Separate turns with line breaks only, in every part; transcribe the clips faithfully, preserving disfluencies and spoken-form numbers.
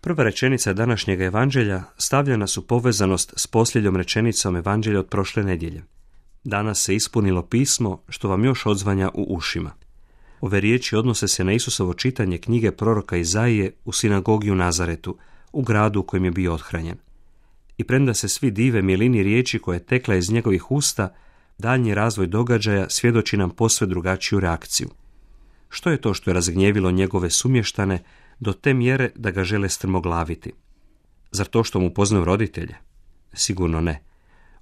Prva rečenica današnjeg evanđelja stavlja nas u povezanost s posljednjom rečenicom evanđelja od prošle nedjelje. Danas se ispunilo pismo što vam još odzvanja u ušima. Ove riječi odnose se na Isusovo čitanje knjige proroka Izaije u sinagogi u Nazaretu, u gradu u kojem je bio othranjen. I premda se svi dive milini riječi koja je tekla iz njegovih usta, daljnji razvoj događaja svjedoči nam posve drugačiju reakciju. Što je to što je razgnjevilo njegove sumještane do te mjere da ga žele strmoglaviti? Zar to što mu poznaju roditelje? Sigurno ne.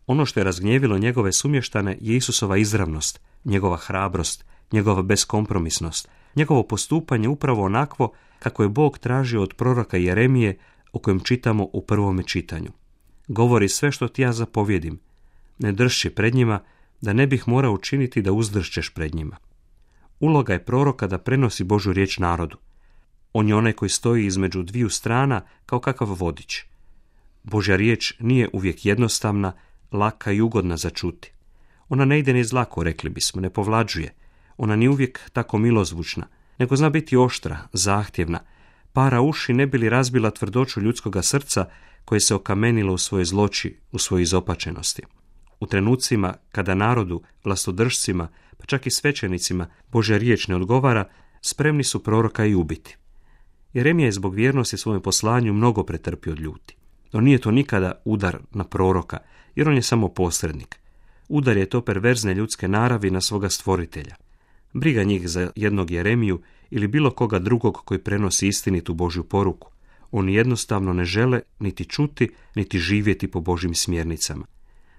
Ono što je razgnjevilo njegove sumještane je Isusova izravnost, njegova hrabrost, njegova beskompromisnost, njegovo postupanje upravo onakvo kako je Bog tražio od proroka Jeremije o kojem čitamo u prvome čitanju. Govori sve što ti ja zapovjedim, ne dršći pred njima, da ne bih morao učiniti da uzdršćeš pred njima. Uloga je proroka da prenosi Božju riječ narodu. On je onaj koji stoji između dviju strana kao kakav vodič. Božja riječ nije uvijek jednostavna, laka i ugodna za čuti. Ona ne ide niz lako, rekli bismo, ne povlađuje. Ona nije uvijek tako milozvučna, nego zna biti oštra, zahtjevna, para uši ne bi li razbila tvrdoću ljudskoga srca koje se okamenilo u svojoj zloći, u svojoj izopačenosti. U trenucima kada narodu, vlastodržcima, pa čak i svećenicima Božja riječ ne odgovara, spremni su proroka i ubiti. Jeremija je zbog vjernosti svojem poslanju mnogo pretrpio od ljuti. No nije to nikada udar na proroka, jer on je samo posrednik. Udar je to perverzne ljudske naravi na svoga stvoritelja. Briga njih za jednog Jeremiju ili bilo koga drugog koji prenosi istinitu Božju poruku. Oni jednostavno ne žele niti čuti, niti živjeti po Božjim smjernicama.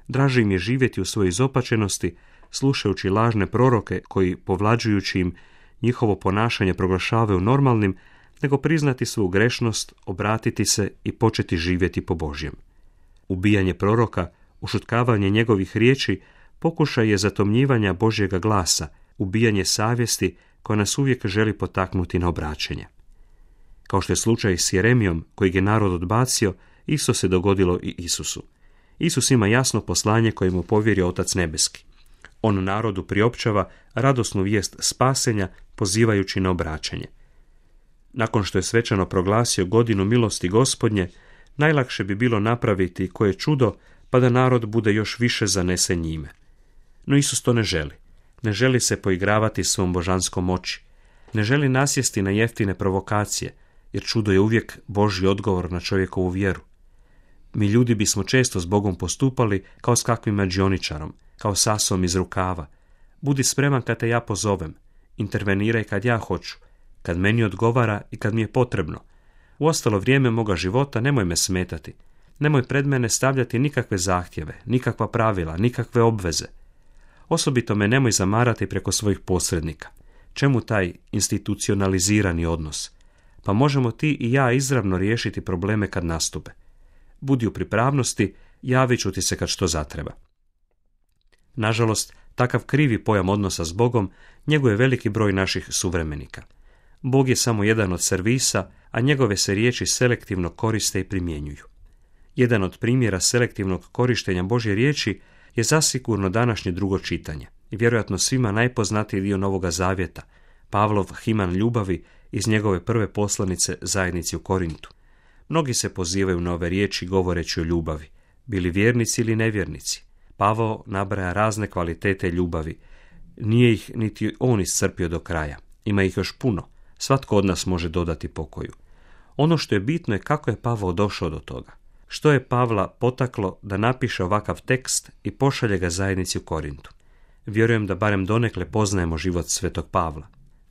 Draže im je živjeti u svojoj izopačenosti, slušajući lažne proroke koji, povlađujući im njihovo ponašanje, proglašavaju normalnim, nego priznati svoju grešnost, obratiti se i početi živjeti po Božjem. Ubijanje proroka, ušutkavanje njegovih riječi, pokušaj je zatomnjivanja Božjega glasa, ubijanje savjesti koja nas uvijek želi potaknuti na obraćenje. Kao što je slučaj s Jeremijom, kojeg je narod odbacio, isto se dogodilo i Isusu. Isus ima jasno poslanje koje mu povjerio Otac Nebeski. On narodu priopćava radosnu vijest spasenja, pozivajući na obraćanje. Nakon što je svečano proglasio godinu milosti Gospodnje, najlakše bi bilo napraviti koje čudo, pa da narod bude još više zanesen njime. No Isus to ne želi. Ne želi se poigravati svom božanskom moći. Ne želi nasjesti na jeftine provokacije, jer čudo je uvijek Božji odgovor na čovjekovu vjeru. Mi ljudi bismo često s Bogom postupali kao s kakvim mađioničarom, kao sasom iz rukava. Budi spreman kad te ja pozovem, interveniraj kad ja hoću, kad meni odgovara i kad mi je potrebno. U ostalo vrijeme moga života nemoj me smetati. Nemoj pred mene stavljati nikakve zahtjeve, nikakva pravila, nikakve obveze. Osobito me nemoj zamarati preko svojih posrednika. Čemu taj institucionalizirani odnos? Pa možemo ti i ja izravno riješiti probleme kad nastupe. Budi u pripravnosti, javit ću ti se kad što zatreba. Nažalost, takav krivi pojam odnosa s Bogom njeguje veliki broj naših suvremenika. Bog je samo jedan od servisa, a njegove se riječi selektivno koriste i primjenjuju. Jedan od primjera selektivnog korištenja Božje riječi je zasigurno današnje drugo čitanje i vjerojatno svima najpoznatiji dio Novoga Zavjeta, Pavlov himan ljubavi iz njegove prve poslanice zajednici u Korintu. Mnogi se pozivaju na ove riječi govoreći o ljubavi, bili vjernici ili nevjernici. Pavao nabraja razne kvalitete ljubavi. Nije ih niti on iscrpio do kraja. Ima ih još puno. Svatko od nas može dodati pokoju. Ono što je bitno je kako je Pavao došao do toga. Što je Pavla potaklo da napiše ovakav tekst i pošalje ga zajednici u Korintu. Vjerujem da barem donekle poznajemo život svetog Pavla.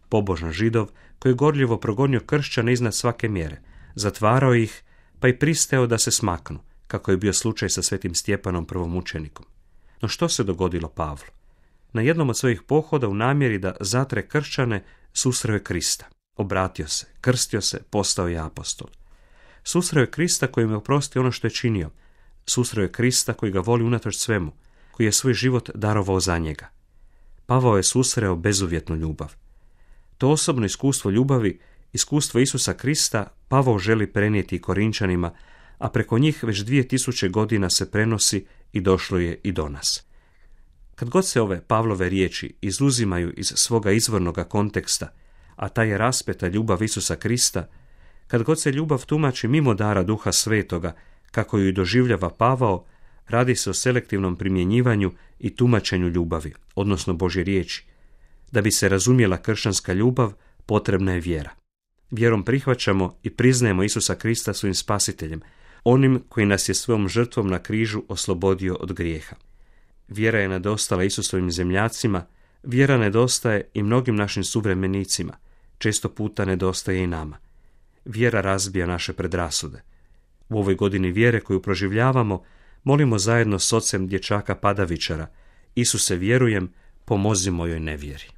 Pobožan Židov koji je gorljivo progonio kršćane iznad svake mjere, zatvarao ih pa i pristao da se smaknu, kako je bio slučaj sa svetim Stjepanom prvom mučenikom. No što se dogodilo Pavlu? Na jednom od svojih pohoda u namjeri da zatre kršćane susreo je Krista. Obratio se, krstio se, postao je apostol. Susreo je Krista koji mu je oprostio ono što je činio. Susreo je Krista koji ga voli unatoč svemu, koji je svoj život darovao za njega. Pavao je susreo bezuvjetnu ljubav. To osobno iskustvo ljubavi, iskustvo Isusa Krista, Pavao želi prenijeti i Korinčanima, a preko njih već dvije tisuće godina se prenosi i došlo je i do nas. Kad god se ove Pavlove riječi izuzimaju iz svoga izvornoga konteksta, a taj je raspeta ljubav Isusa Krista, Kad god se ljubav tumači mimo dara Duha Svetoga, kako ju i doživljava Pavao, radi se o selektivnom primjenjivanju i tumačenju ljubavi, odnosno Božje riječi. Da bi se razumjela kršćanska ljubav, potrebna je vjera. Vjerom prihvaćamo i priznajemo Isusa Krista svojim spasiteljem, onim koji nas je svojom žrtvom na križu oslobodio od grijeha. Vjera je nedostala Isusovim zemljacima, vjera nedostaje i mnogim našim suvremenicima, često puta nedostaje i nama. Vjera razbija naše predrasude. U ovoj godini vjere koju proživljavamo, molimo zajedno s ocem dječaka Padavičara: Isuse, vjerujem, pomozi mojoj nevjeri.